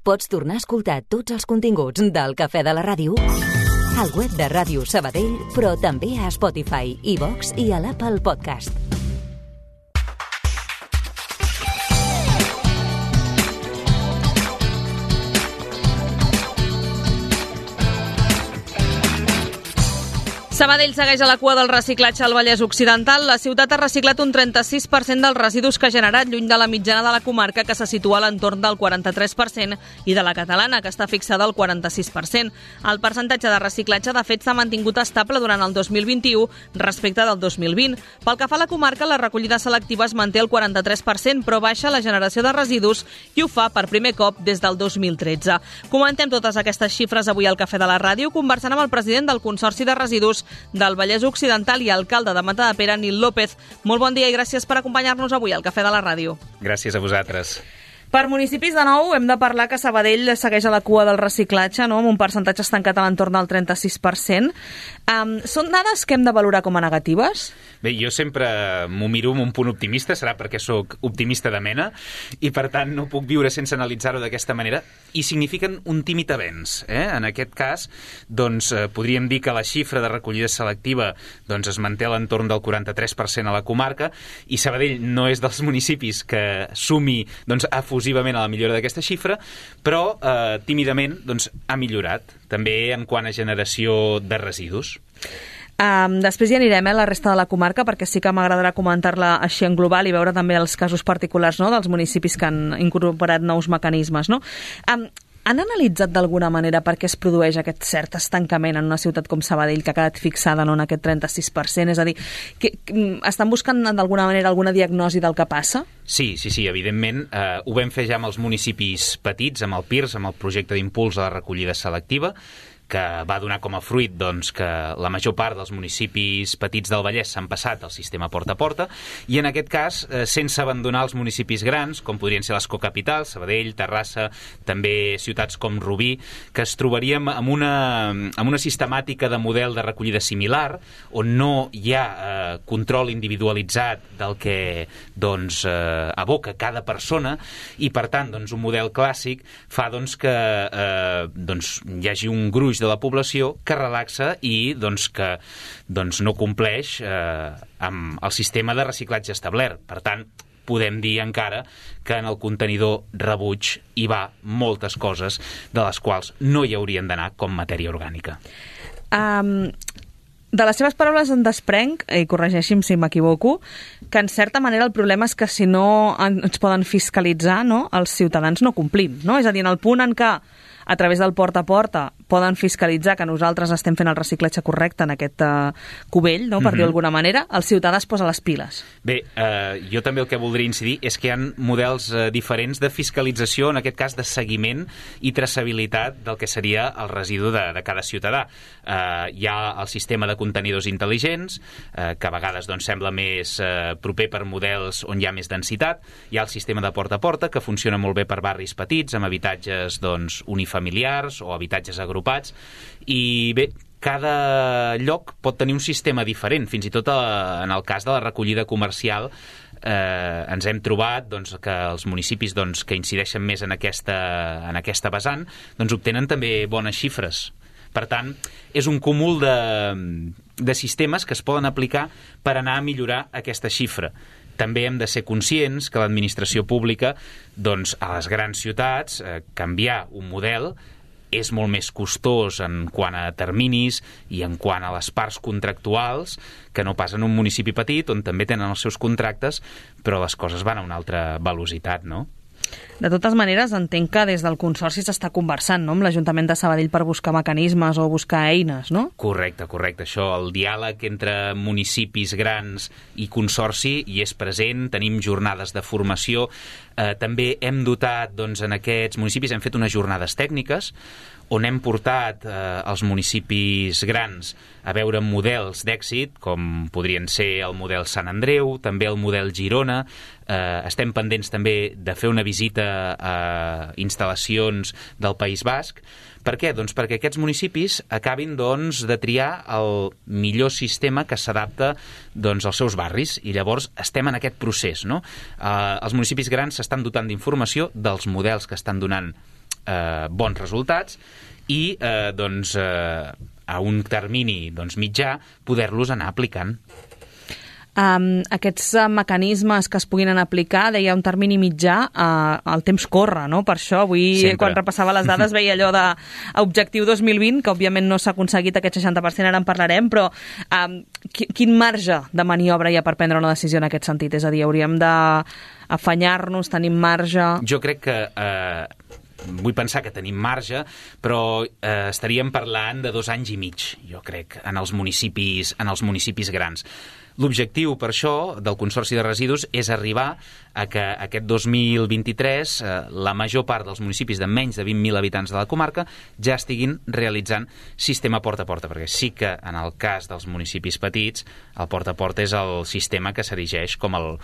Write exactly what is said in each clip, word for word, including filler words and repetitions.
Pots tornar a escoltar tots els continguts del Cafè de la Ràdio al web de Ràdio Sabadell, però també a Spotify, iVox i a l'Apple Podcast. Sabadell segueix a la cua del reciclatge al Vallès Occidental. La ciutat ha reciclat un trenta-sis per cent dels residus que ha generat, lluny de la mitjana de la comarca, que se situa a l'entorn del quaranta-tres per cent, i de la catalana, que està fixada al quaranta-sis per cent. El percentatge de reciclatge, de fet, s'ha mantingut estable durant el dos mil vint-i-u respecte del dos mil vint. Pel que fa a la comarca, la recollida selectiva es manté al quaranta-tres per cent, però baixa la generació de residus i ho fa per primer cop des del dos mil tretze. Comentem totes aquestes xifres avui al Cafè de la Ràdio, conversant amb el president del Consorci de Residus del Vallès Occidental i alcalde de Matadepera, Nil López. Molt bon dia i gràcies per acompanyar-nos avui al Cafè de la Ràdio. Gràcies a vosaltres. Per municipis, de nou, hem de parlar que Sabadell segueix a la cua del reciclatge, no?, amb un percentatge estancat a l'entorn del trenta-sis per cent. Um, són dades que hem de valorar com a negatives? Bé, jo sempre m'ho miro amb un punt optimista, serà perquè sóc optimista de mena, i per tant no puc viure sense analitzar-ho d'aquesta manera, i signifiquen un tímid avenç. Eh? En aquest cas, doncs, eh, podríem dir que la xifra de recollida selectiva doncs, es manté a l'entorn del quaranta-tres per cent a la comarca, i Sabadell no és dels municipis que sumi doncs, efusivament a la millora d'aquesta xifra, però eh, tímidament doncs, ha millorat, també en quant a generació de residus. Um, després ja anirem eh, a la resta de la comarca, perquè sí que m'agradarà comentar-la així en global i veure també els casos particulars, no?, dels municipis que han incorporat nous mecanismes. No? Um, han analitzat d'alguna manera per què es produeix aquest cert estancament en una ciutat com Sabadell, que ha quedat fixada, no?, en aquest trenta-sis per cent? És a dir, que, que, estan buscant d'alguna manera alguna diagnosi del que passa? Sí, sí, sí, evidentment. Eh, ho vam fer ja amb els municipis petits, amb el P I R S, amb el projecte d'impuls a la recollida selectiva, que va donar com a fruit doncs, que la major part dels municipis petits del Vallès s'han passat al sistema porta a porta, i en aquest cas, eh, sense abandonar els municipis grans, com podrien ser les cocapitals, Sabadell, Terrassa, també ciutats com Rubí, que es trobaríem amb una, amb una sistemàtica de model de recollida similar, on no hi ha eh, control individualitzat del que doncs, eh, aboca cada persona, i per tant doncs, un model clàssic fa doncs, que eh, doncs, hi hagi un gruix de la població que relaxa i doncs, que doncs, no compleix eh, amb el sistema de reciclatge establert. Per tant, podem dir encara que en el contenidor rebuig hi va moltes coses de les quals no hi haurien d'anar com matèria orgànica. Um... De les seves paraules en desprenc, i corregeixi'm si m'equivoco, que en certa manera el problema és que si no ens poden fiscalitzar, no, els ciutadans no complim. No? És a dir, en el punt en què a través del porta a porta poden fiscalitzar que nosaltres estem fent el reciclatge correcte en aquest uh, cubell, no, per mm-hmm. dir d'alguna manera, el ciutadà es posa les piles. Bé, eh, jo també el que voldria incidir és que hi ha models eh, diferents de fiscalització, en aquest cas de seguiment i traçabilitat del que seria el residu de, de cada ciutadà. Eh, hi ha el sistema de contenidors intel·ligents, eh, que a vegades doncs, sembla més eh, proper per models on hi ha més densitat. Hi ha el sistema de porta a porta, que funciona molt bé per barris petits, amb habitatges doncs, unifamiliars o habitatges agrupats, i bé, cada lloc pot tenir un sistema diferent, fins i tot a, en el cas de la recollida comercial. Eh, ens hem trobat doncs, que els municipis doncs, que incideixen més en aquesta, en aquesta vessant doncs, obtenen també bones xifres. Per tant, és un cúmul de, de sistemes que es poden aplicar per anar a millorar aquesta xifra. També hem de ser conscients que l'administració pública, doncs, a les grans ciutats, eh, canviar un model és molt més costós en quant a terminis i en quant a les parts contractuals que no pas en un municipi petit, on també tenen els seus contractes, però les coses van a una altra velocitat, no? De totes maneres, entenc que des del Consorci s'està conversant, no?, amb l'Ajuntament de Sabadell per buscar mecanismes o buscar eines, no? Correcte, correcte. Això, el diàleg entre municipis grans i Consorci hi és present, tenim jornades de formació. Eh, també hem dotat, doncs, en aquests municipis, hem fet unes jornades tècniques on hem portat eh, els municipis grans a veure models d'èxit, com podrien ser el model Sant Andreu, també el model Girona. Eh, estem pendents també de fer una visita a instal·lacions del País Basc. Per què? Doncs perquè aquests municipis acabin doncs, de triar el millor sistema que s'adapta doncs, als seus barris, i llavors estem en aquest procés, no? Eh, els municipis grans s'estan dotant d'informació dels models que estan donant eh, bons resultats i eh, doncs, eh, a un termini doncs, mitjà poder-los anar aplicant. Um, aquests uh, mecanismes que es puguin anar a aplicar, deia un termini mitjà, uh, el temps corre, no? Per això avui, Sempre. quan repassava les dades, veia allò d'objectiu dos mil vint, que òbviament no s'ha aconseguit aquest seixanta per cent, ara en parlarem, però um, quin marge de maniobra hi ha per prendre una decisió en aquest sentit? És a dir, hauríem d'afanyar-nos, tenim marge... Jo crec que... Eh... Vull pensar que tenim marge, però eh, estaríem parlant de dos anys i mig, jo crec, en els municipis, en els municipis grans. L'objectiu, per això, del Consorci de Residus és arribar a que aquest dos mil vint-i-tres eh, la major part dels municipis de menys de vint mil habitants de la comarca ja estiguin realitzant sistema porta a porta, perquè sí que en el cas dels municipis petits el porta a porta és el sistema que s'erigeix com el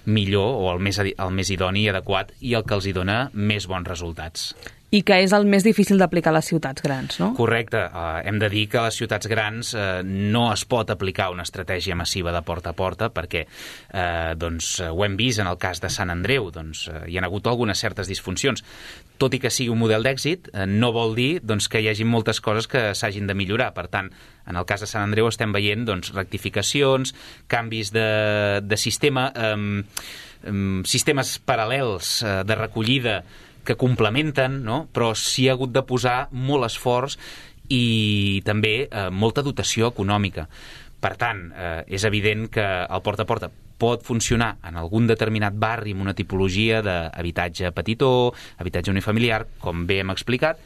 millor o el més, el més idoni i adequat i el que els hi dona més bons resultats. I que és el més difícil d'aplicar a les ciutats grans, no? Correcte. Uh, hem de dir que a les ciutats grans uh, no es pot aplicar una estratègia massiva de porta a porta perquè uh, doncs, uh, ho hem vist en el cas de Sant Andreu. Doncs, uh, hi ha hagut algunes certes disfuncions. Tot i que sigui un model d'èxit, uh, no vol dir doncs, que hi hagi moltes coses que s'hagin de millorar. Per tant, en el cas de Sant Andreu estem veient doncs, rectificacions, canvis de, de sistema, um, um, sistemes paral·lels uh, de recollida que complementen, no? Però s'hi ha hagut de posar molt esforç i també eh, molta dotació econòmica. Per tant, eh, és evident que el porta a porta pot funcionar en algun determinat barri amb una tipologia d'habitatge petitó, habitatge unifamiliar, com bé hem explicat,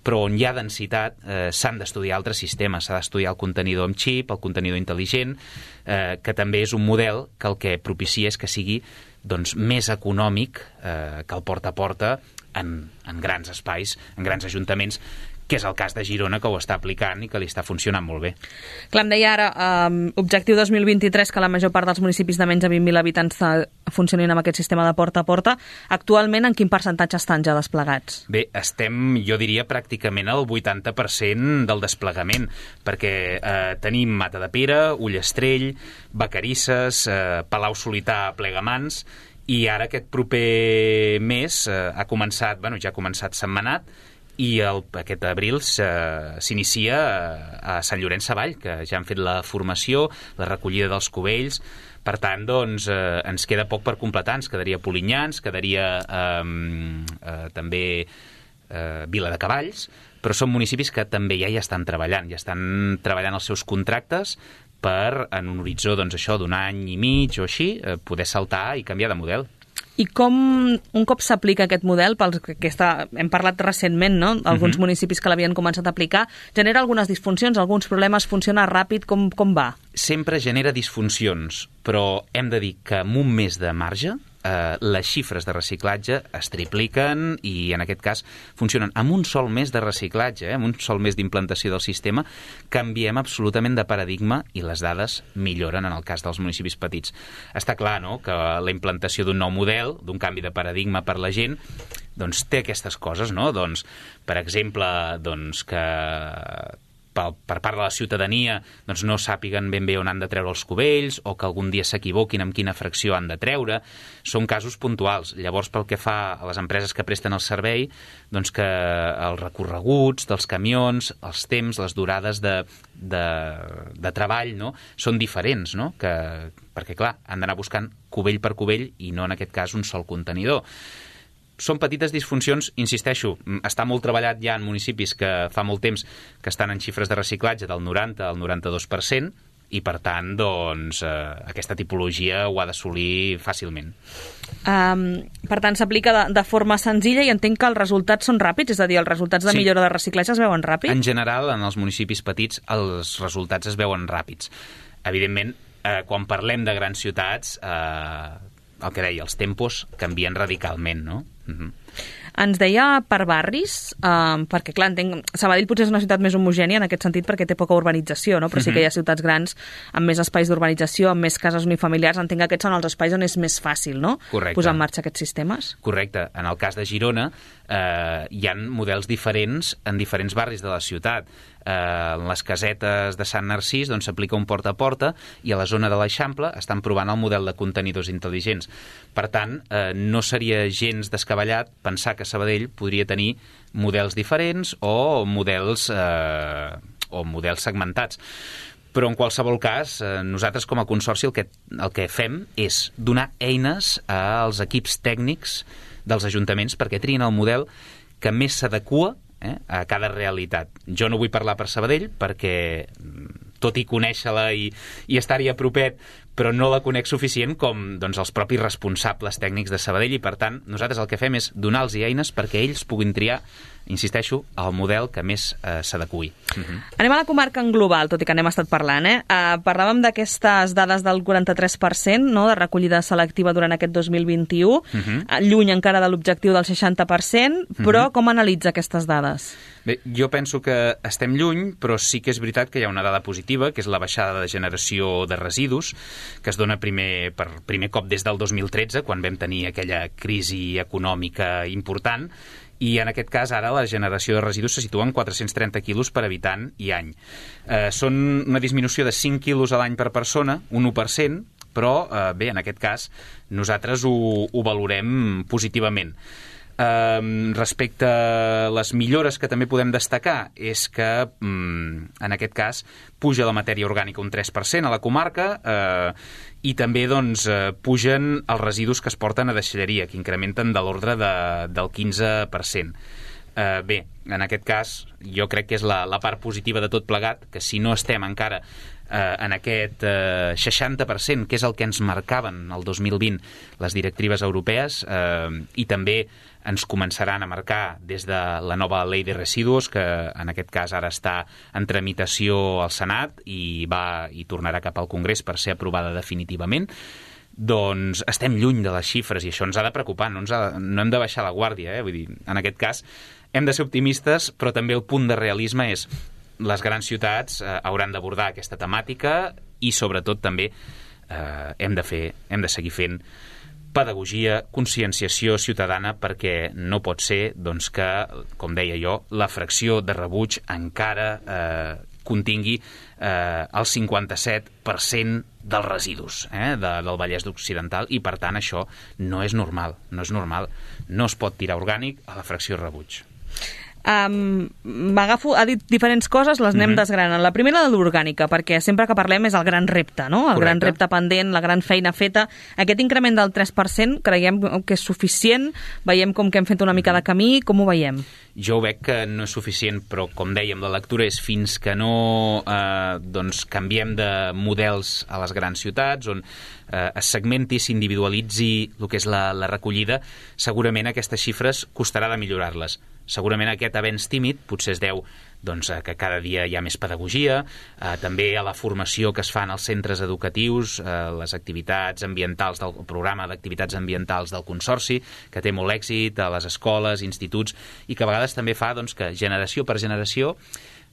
però on hi ha densitat eh, s'han d'estudiar altres sistemes, s'ha d'estudiar el contenidor amb xip, el contenidor intel·ligent, eh, que també és un model que el que propicia és que sigui doncs, més econòmic eh, que el porta a porta en, en grans espais, en grans ajuntaments, que és el cas de Girona, que ho està aplicant i que li està funcionant molt bé. Clar, em deia ara, um, objectiu dos mil vint-i-tres, que la major part dels municipis de menys de vint mil habitants funcionin amb aquest sistema de porta a porta. Actualment, en quin percentatge estan ja desplegats? Bé, estem, jo diria, pràcticament al vuitanta per cent del desplegament, perquè eh, tenim Matadepera, Ullastrell, Vacarisses, eh, Palau-solità, Plegamans, i ara aquest proper mes eh, ha començat, bueno, ja ha començat Sentmenat, i el, aquest abril s'inicia a Sant Llorenç Savall, que ja han fet la formació, la recollida dels cubells. Per tant, doncs, eh, ens queda poc per completar. Ens quedaria Polinyà, ens quedaria eh, eh, també eh, Vila de Cavalls, però són municipis que també ja hi estan treballant, ja estan treballant els seus contractes per, en un horitzó doncs, això d'un any i mig o així, eh, poder saltar i canviar de model. I com, un cop s'aplica aquest model, pels que està, hem parlat recentment, no? Alguns uh-huh. municipis que l'havien començat a aplicar, genera algunes disfuncions, alguns problemes, funciona ràpid, com, com va? Sempre genera disfuncions, però hem de dir que amb un mes de marge eh, les xifres de reciclatge es tripliquen i en aquest cas funcionen. Amb un sol mes de reciclatge, eh, amb un sol mes d'implantació del sistema, canviem absolutament de paradigma i les dades milloren en el cas dels municipis petits. Està clar, no?, que la implantació d'un nou model, d'un canvi de paradigma per la gent, doncs té aquestes coses, no? Doncs, per exemple, doncs que per part de la ciutadania doncs no sàpiguen ben bé on han de treure els cubells o que algun dia s'equivoquin amb quina fracció han de treure. Són casos puntuals. Llavors, pel que fa a les empreses que presten el servei, doncs que els recorreguts dels camions, els temps, les durades de, de, de treball, no?, són diferents, no?, que, perquè, clar, han d'anar buscant cubell per cubell i no, en aquest cas, un sol contenidor. Són petites disfuncions, insisteixo, està molt treballat ja en municipis que fa molt temps que estan en xifres de reciclatge del noranta al noranta-dos per cent i, per tant, doncs, eh, aquesta tipologia ho ha d'assolir fàcilment. Um, per tant, s'aplica de, de forma senzilla i entenc que els resultats són ràpids, és a dir, els resultats de sí. millora de reciclatge es veuen ràpids? En general, en els municipis petits, els resultats es veuen ràpids. Evidentment, eh, quan parlem de grans ciutats, eh, el que deia, els tempos canvien radicalment, no? Uh-huh. Ens deia per barris, eh, perquè clar, entenc, Sabadell potser és una ciutat més homogènia en aquest sentit perquè té poca urbanització, no? Però sí que hi ha ciutats grans amb més espais d'urbanització, amb més cases unifamiliars, entenc que aquests són els espais on és més fàcil, no?, Correcte. Posar en marxa aquests sistemes. Correcte. En el cas de Girona, eh, hi ha models diferents en diferents barris de la ciutat. Eh, en les casetes de Sant Narcís doncs, s'aplica un porta a porta i a la zona de l'Eixample estan provant el model de contenidors intel·ligents. Per tant, eh, no seria gens descabellat pensar que Sabadell podria tenir models diferents o models, eh, o models segmentats. Però en qualsevol cas, eh, nosaltres com a consorci el que, el que fem és donar eines als equips tècnics dels ajuntaments perquè trien el model que més s'adequa eh, a cada realitat. Jo no vull parlar per Sabadell perquè, tot i conèixer-la i, i estar-hi a propet, però no la conec suficient com doncs, els propis responsables tècnics de Sabadell i, per tant, nosaltres el que fem és donar-los eines perquè ells puguin triar, insisteixo, el model que més eh, s'adequi. Uh-huh. Anem a la comarca en global, tot i que n'hem estat parlant. Eh? Uh, parlàvem d'aquestes dades del quaranta-tres per cent no, de recollida selectiva durant aquest dos mil vint-i-u, uh-huh. lluny encara de l'objectiu del seixanta per cent, però uh-huh. com analitza aquestes dades? Bé, jo penso que estem lluny, però sí que és veritat que hi ha una dada positiva, que és la baixada de generació de residus, que es dona primer, per primer cop des del dos mil tretze, quan vam tenir aquella crisi econòmica important, i en aquest cas ara la generació de residus se situa en quatre-cents trenta quilos per habitant i any. Eh, són una disminució de cinc quilos a l'any per persona, un u per cent, però eh, bé, en aquest cas nosaltres ho, ho valorem positivament. Uh, respecte a les millores que també podem destacar és que um, en aquest cas puja la matèria orgànica un tres per cent a la comarca uh, i també doncs, uh, pugen els residus que es porten a deixalleria, que incrementen de l'ordre de, del quinze per cent. Uh, bé, en aquest cas jo crec que és la, la part positiva de tot plegat, que si no estem encara Uh, en aquest uh, seixanta per cent, que és el que ens marcaven el dos mil vint les directives europees, uh, i també ens començaran a marcar des de la nova llei de residus, que en aquest cas ara està en tramitació al Senat i, va, i tornarà cap al Congrés per ser aprovada definitivament. Doncs estem lluny de les xifres i això ens ha de preocupar, no, ens ha de, no hem de baixar la guàrdia. Eh? Vull dir, en aquest cas hem de ser optimistes, però també el punt de realisme és les grans ciutats eh, hauran d'abordar aquesta temàtica i, sobretot, també eh, hem de fer, hem de seguir fent pedagogia, conscienciació ciutadana, perquè no pot ser doncs, que, com deia jo, la fracció de rebuig encara eh, contingui eh, el cinquanta-set per cent dels residus eh, de, del Vallès Occidental i, per tant, això no és normal, no és normal. No es pot tirar orgànic a la fracció de rebuig. Um, m'agafo, ha dit diferents coses, les anem mm-hmm. desgranant. La primera de l'orgànica, perquè sempre que parlem és el gran repte, no? El Correcte. Gran repte pendent, la gran feina feta. Aquest increment del tres per cent creiem que és suficient? Veiem com que hem fet una mica de camí? Com ho veiem? Jo veig que no és suficient, però com dèiem, la lectura és fins que no eh, doncs, canviem de models a les grans ciutats, on eh, es segmenti, s'individualitzi el que és la, la recollida, segurament aquestes xifres costarà de millorar-les. Segurament aquest avenç tímid potser es deu doncs, que cada dia hi ha més pedagogia, eh, també a la formació que es fan als centres educatius, eh, les activitats ambientals del el programa d'activitats ambientals del Consorci, que té molt èxit a les escoles, instituts, i que a vegades també fa doncs, que generació per generació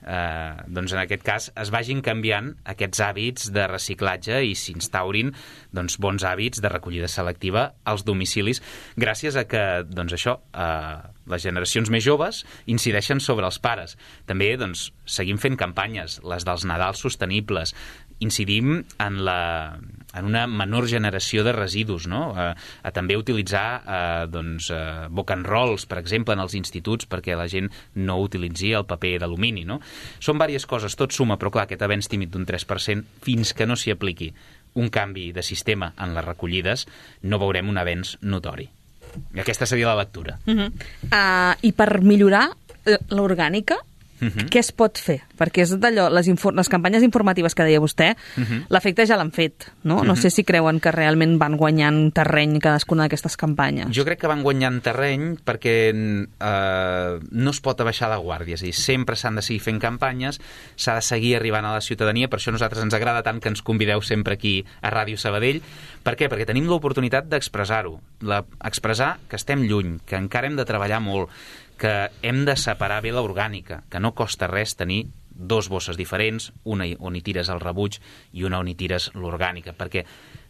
eh, doncs en aquest cas es vagin canviant aquests hàbits de reciclatge i s'instaurin doncs, bons hàbits de recollida selectiva als domicilis, gràcies a que doncs, això, eh, les generacions més joves incideixen sobre els pares. També doncs, seguim fent campanyes, les dels Nadals sostenibles, incidim en, la, en una menor generació de residus, no? a, a també utilitzar eh, doncs, eh, book and rolls, per exemple, en els instituts, perquè la gent no utilitzi el paper d'alumini. No? Són diverses coses, tot suma, però clar, aquest avenç tímid d'un tres per cent, fins que no s'hi apliqui un canvi de sistema en les recollides, no veurem un avenç notori. I aquesta seria la lectura. Uh-huh. Uh, I per millorar l'orgànica, uh-huh. què es pot fer? Perquè és d'allò, les, les campanyes informatives que deia vostè, uh-huh. l'efecte ja l'han fet, no? Uh-huh. No sé si creuen que realment van guanyant terreny cadascuna d'aquestes campanyes. Jo crec que van guanyant terreny perquè eh, no es pot abaixar la guàrdia, és a dir, sempre s'han de seguir fent campanyes, s'ha de seguir arribant a la ciutadania, per això a nosaltres ens agrada tant que ens convideu sempre aquí a Ràdio Sabadell. Per què? Perquè tenim l'oportunitat d'expressar-ho, la, expressar que estem lluny, que encara hem de treballar molt, que hem de separar bé l'orgànica, que no costa res tenir dos bosses diferents, una on hi tires el rebuig i una on hi tires l'orgànica, perquè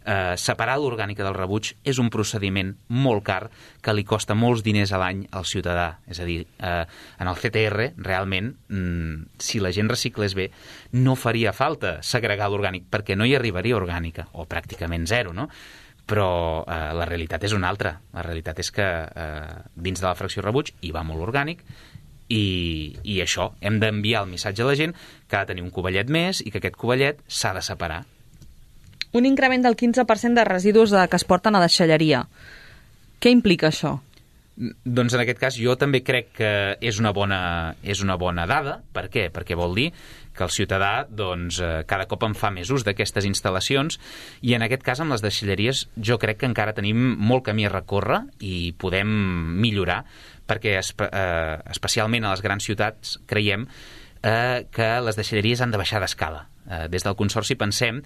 eh, separar l'orgànica del rebuig és un procediment molt car que li costa molts diners a l'any al ciutadà. És a dir, eh, en el C T R, realment, mm, si la gent reciclés bé, no faria falta segregar l'orgànic, perquè no hi arribaria orgànica, o pràcticament zero, no? Però eh, la realitat és una altra. La realitat és que eh, dins de la fracció rebuig hi va molt orgànic, i, i això, hem d'enviar el missatge a la gent que ha de tenir un covellet més i que aquest covellet s'ha de separar. Un increment del quinze per cent de residus que es porten a deixalleria. Què implica això? Doncs en aquest cas jo també crec que és una bona, és una bona dada. Per què? Perquè vol dir que el ciutadà doncs, cada cop en fa més ús d'aquestes instal·lacions, i en aquest cas amb les deixalleries jo crec que encara tenim molt camí a recórrer i podem millorar, perquè espe eh, especialment a les grans ciutats creiem eh, que les deixalleries han de baixar d'escala. Eh, des del Consorci pensem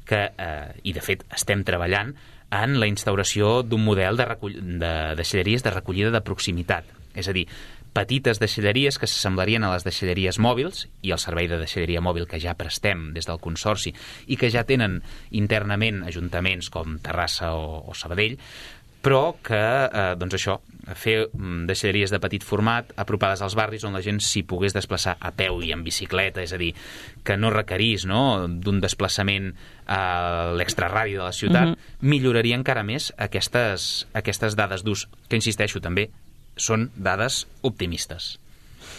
que, eh, i de fet estem treballant en la instauració d'un model de, de deixalleries de recollida de proximitat. És a dir, petites deixalleries que s'assemblarien a les deixalleries mòbils i el servei de deixalleria mòbil que ja prestem des del Consorci i que ja tenen internament ajuntaments com Terrassa o, o Sabadell, però que, eh, doncs això, fer deixalleries de petit format apropades als barris on la gent s'hi pogués desplaçar a peu i en bicicleta, és a dir, que no requerís, no, d'un desplaçament a l'extraradi de la ciutat, uh-huh. milloraria encara més aquestes, aquestes dades d'ús, que insisteixo també, són dades optimistes.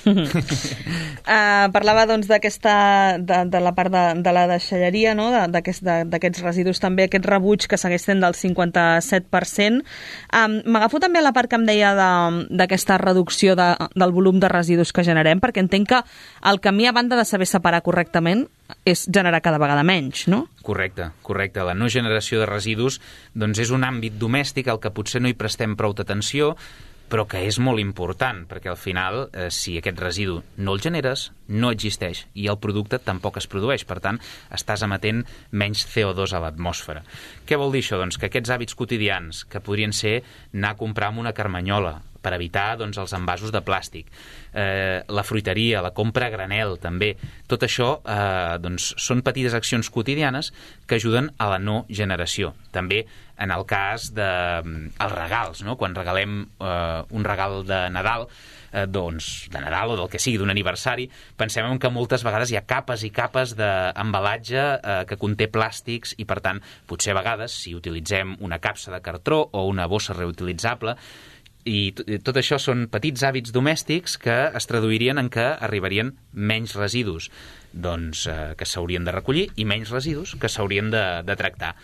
uh, parlava doncs d'aquesta de, de la part de, de la deixalleria, no? d'aquests de, residus també, aquest rebuig que segueix sent del cinquanta-set per cent. um, m'agafo també a la part que em deia d'aquesta de, reducció de, del volum de residus que generem, perquè entenc que el camí, a banda de saber separar correctament, és generar cada vegada menys, no? Correcte, correcte. La no generació de residus doncs és un àmbit domèstic al que potser no hi prestem prou atenció, però que és molt important, perquè al final, eh, si aquest residu no el generes, no existeix, i el producte tampoc es produeix. Per tant, estàs emetent menys C O dos a l'atmosfera. Què vol dir això? Doncs que aquests hàbits quotidians, que podrien ser anar a comprar amb una carmanyola, per evitar doncs, els envasos de plàstic, eh, la fruiteria, la compra a granel, també. Tot això eh, doncs, són petites accions quotidianes que ajuden a la no generació. També en el cas dels de, regals, no? Quan regalem eh, un regal de Nadal, eh, doncs, de Nadal o del que sigui, d'un aniversari, pensem que moltes vegades hi ha capes i capes d'embalatge eh, que conté plàstics i, per tant, potser a vegades, si utilitzem una capsa de cartró o una bossa reutilitzable, i tot això són petits hàbits domèstics que es traduirien en que arribarien menys residus doncs, eh, que s'haurien de recollir i menys residus que s'haurien de, de tractar.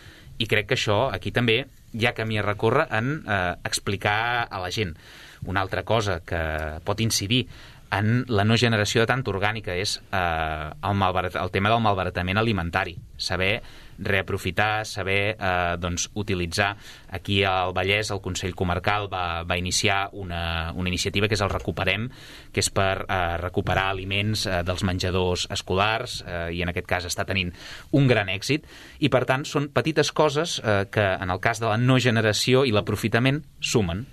I crec que això, aquí també, hi ha camí a recórrer en eh, explicar a la gent. Una altra cosa que pot incidir en la no generació de tanta orgànica és eh, el, malbarat, el tema del malbaratament alimentari. Saber reaprofitar, saber eh, doncs, utilitzar. Aquí al Vallès el Consell Comarcal va, va iniciar una, una iniciativa que és el Recuperem, que és per eh, recuperar aliments eh, dels menjadors escolars, eh, i en aquest cas està tenint un gran èxit, i per tant són petites coses eh, que en el cas de la no generació i l'aprofitament sumen.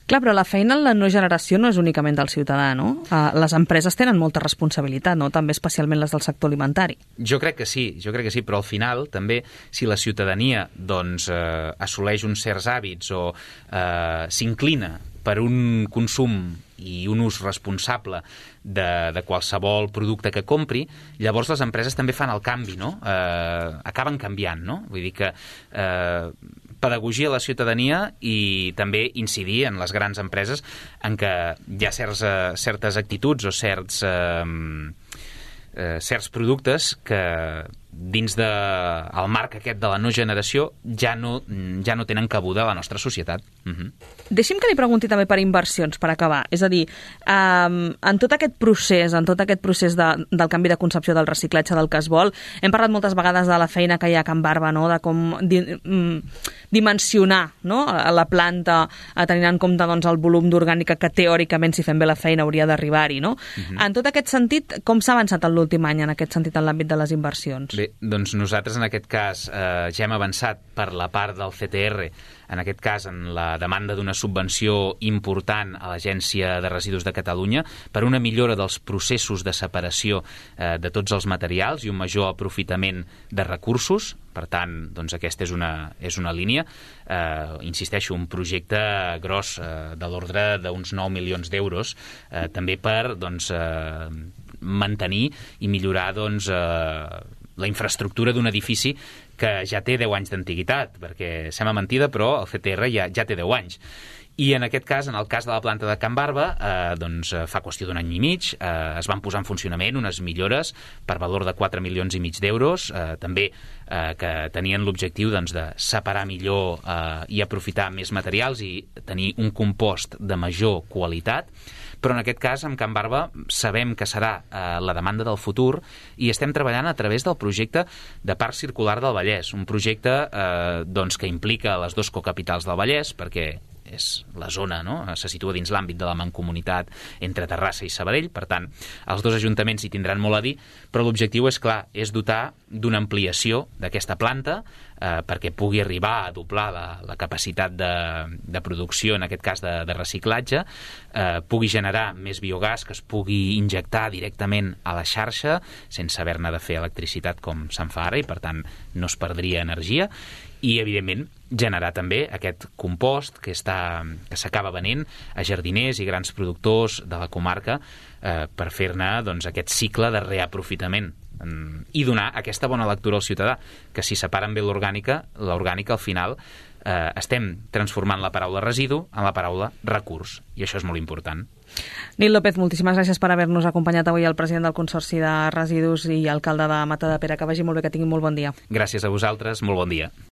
Clar, però la feina en la no generació no és únicament del ciutadà, no? Uh, les empreses tenen molta responsabilitat, no? També especialment les del sector alimentari. Jo crec que sí, jo crec que sí, però al final també si la ciutadania doncs, eh, assoleix uns certs hàbits o eh, s'inclina per un consum i un ús responsable de, de qualsevol producte que compri, llavors les empreses també fan el canvi, no? Eh, acaben canviant, no? Vull dir que eh, pedagogia a la ciutadania i també incidir en les grans empreses en què hi ha certs, eh, certes actituds o certs, eh, eh, certs productes que dins del de, marc aquest de la no generació ja no, ja no tenen cabuda a la nostra societat. Uh-huh. Deixi'm que li pregunti també per inversions, per acabar. És a dir, um, en tot aquest procés, en tot aquest procés de, del canvi de concepció del reciclatge del que es vol, hem parlat moltes vegades de la feina que hi ha a Can Barba, no? De com di, mm, dimensionar, no? A la planta, a tenir en compte doncs, el volum d'orgànica que teòricament, si fem bé la feina, hauria d'arribar-hi. No? Uh-huh. En tot aquest sentit, com s'ha avançat en l'últim any en aquest sentit en l'àmbit de les inversions? Bé, Bé, doncs nosaltres en aquest cas eh, ja hem avançat per la part del C T R, en aquest cas en la demanda d'una subvenció important a l'Agència de Residus de Catalunya per una millora dels processos de separació eh, de tots els materials i un major aprofitament de recursos. Per tant, doncs aquesta és una, és una línia. Eh, insisteixo, un projecte gros eh, de l'ordre d'uns nou milions d'euros, eh, també per doncs, eh, mantenir i millorar doncs, eh, la infraestructura d'un edifici que ja té deu anys d'antiguitat, perquè sembla mentida, però el C T R ja, ja té deu anys. I en aquest cas, en el cas de la planta de Can Barba, eh, doncs, fa qüestió d'un any i mig, eh, es van posar en funcionament unes millores per valor de quatre milions i mig d'euros, eh, també eh, que tenien l'objectiu doncs, de separar millor eh, i aprofitar més materials i tenir un compost de major qualitat. Però en aquest cas, amb Can Barba, sabem que serà eh, la demanda del futur i estem treballant a través del projecte de Parc Circular del Vallès, un projecte eh, doncs, que implica les dues cocapitals del Vallès, perquè és la zona, no? Se situa dins l'àmbit de la mancomunitat entre Terrassa i Sabadell, per tant, els dos ajuntaments hi tindran molt a dir, però l'objectiu és clar, és dotar d'una ampliació d'aquesta planta eh, perquè pugui arribar a doblar la, la capacitat de, de producció, en aquest cas de, de reciclatge, eh, pugui generar més biogàs que es pugui injectar directament a la xarxa sense haver-ne de fer electricitat com se'n fa ara i per tant no es perdria energia i evidentment generar també aquest compost que està que s'acaba venent a jardiners i grans productors de la comarca eh, per fer-ne doncs, aquest cicle de reaprofitament i donar aquesta bona lectura al ciutadà, que si separen bé l'orgànica, l'orgànica al final eh, estem transformant la paraula residu en la paraula recurs, i això és molt important. Nil López, moltíssimes gràcies per haver-nos acompanyat avui, el president del Consorci de Residus i alcalde de Matadepera. Que vagi molt bé, que tingui molt bon dia. Gràcies a vosaltres, molt bon dia.